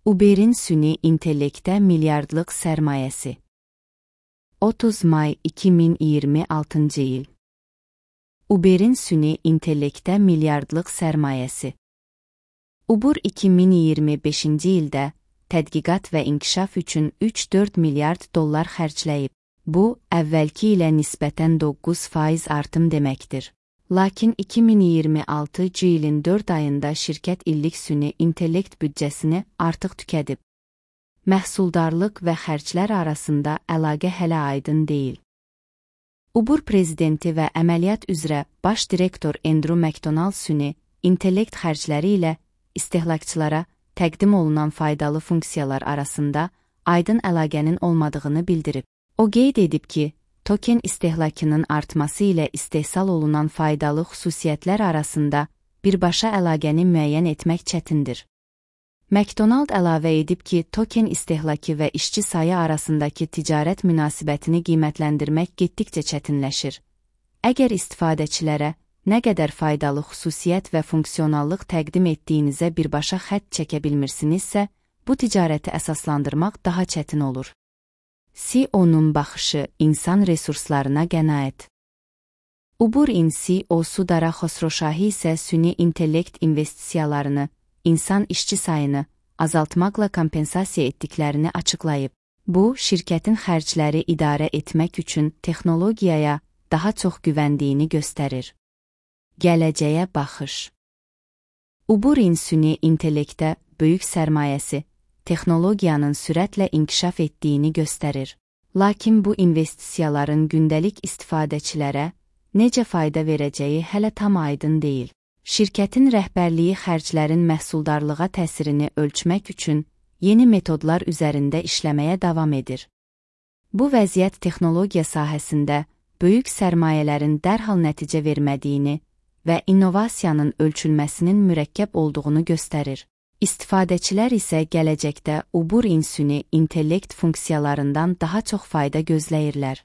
Uber'in süni intellektə milyardlıq sərmayəsi. 30 may 2026 il. Uber'in süni intellektə milyardlıq sərmayəsi. Uber 2025-ci ildə tədqiqat və inkişaf üçün 3-4 milyard dollar xərcləyib. Bu, əvvəlki ilə nisbətən 9% artım deməkdir. Lakin 2026 ilin 4 ayında şirkət illik süni intellekt büdcəsini artıq tükədib. Məhsuldarlıq və xərclər arasında əlaqə hələ aydın deyil. Uber prezidenti və əməliyyat üzrə baş direktor Andrew McDonald süni intellekt xərcləri ilə istehlakçılara təqdim olunan faydalı funksiyalar arasında aydın əlaqənin olmadığını bildirib. O qeyd edib ki, token istehlakının artması ilə istehsal olunan faydalı xüsusiyyətlər arasında birbaşa əlaqəni müəyyən etmək çətindir. McDonald əlavə edib ki, token istehlakı və işçi sayı arasındakı ticarət münasibətini qiymətləndirmək getdikcə çətinləşir. Əgər istifadəçilərə nə qədər faydalı xüsusiyyət və funksionallıq təqdim etdiyinizə birbaşa xətt çəkə bilmirsinizsə, bu ticarəti əsaslandırmaq daha çətin olur. CEO-nun baxışı insan resurslarına qənaət. Uber-in CEO-su Dara Xosroşahi isə süni intellekt investisiyalarını, insan işçi sayını azaltmaqla kompensasiya etdiklərini açıqlayıb. Bu, şirkətin xərcləri idarə etmək üçün texnologiyaya daha çox güvəndiyini göstərir. Gələcəyə baxış. Uber-in süni intellektə böyük sərmayəsi, texnologiyanın sürətlə inkişaf etdiyini göstərir. Lakin bu investisiyaların gündəlik istifadəçilərə necə fayda verəcəyi hələ tam aydın deyil. Şirkətin rəhbərliyi xərclərin məhsuldarlığa təsirini ölçmək üçün yeni metodlar üzərində işləməyə davam edir. Bu vəziyyət texnologiya sahəsində böyük sərmayələrin dərhal nəticə vermədiyini və innovasiyanın ölçülməsinin mürəkkəb olduğunu göstərir. İstifadəçilər isə gələcəkdə Uber-in süni intellekt funksiyalarından daha çox fayda gözləyirlər.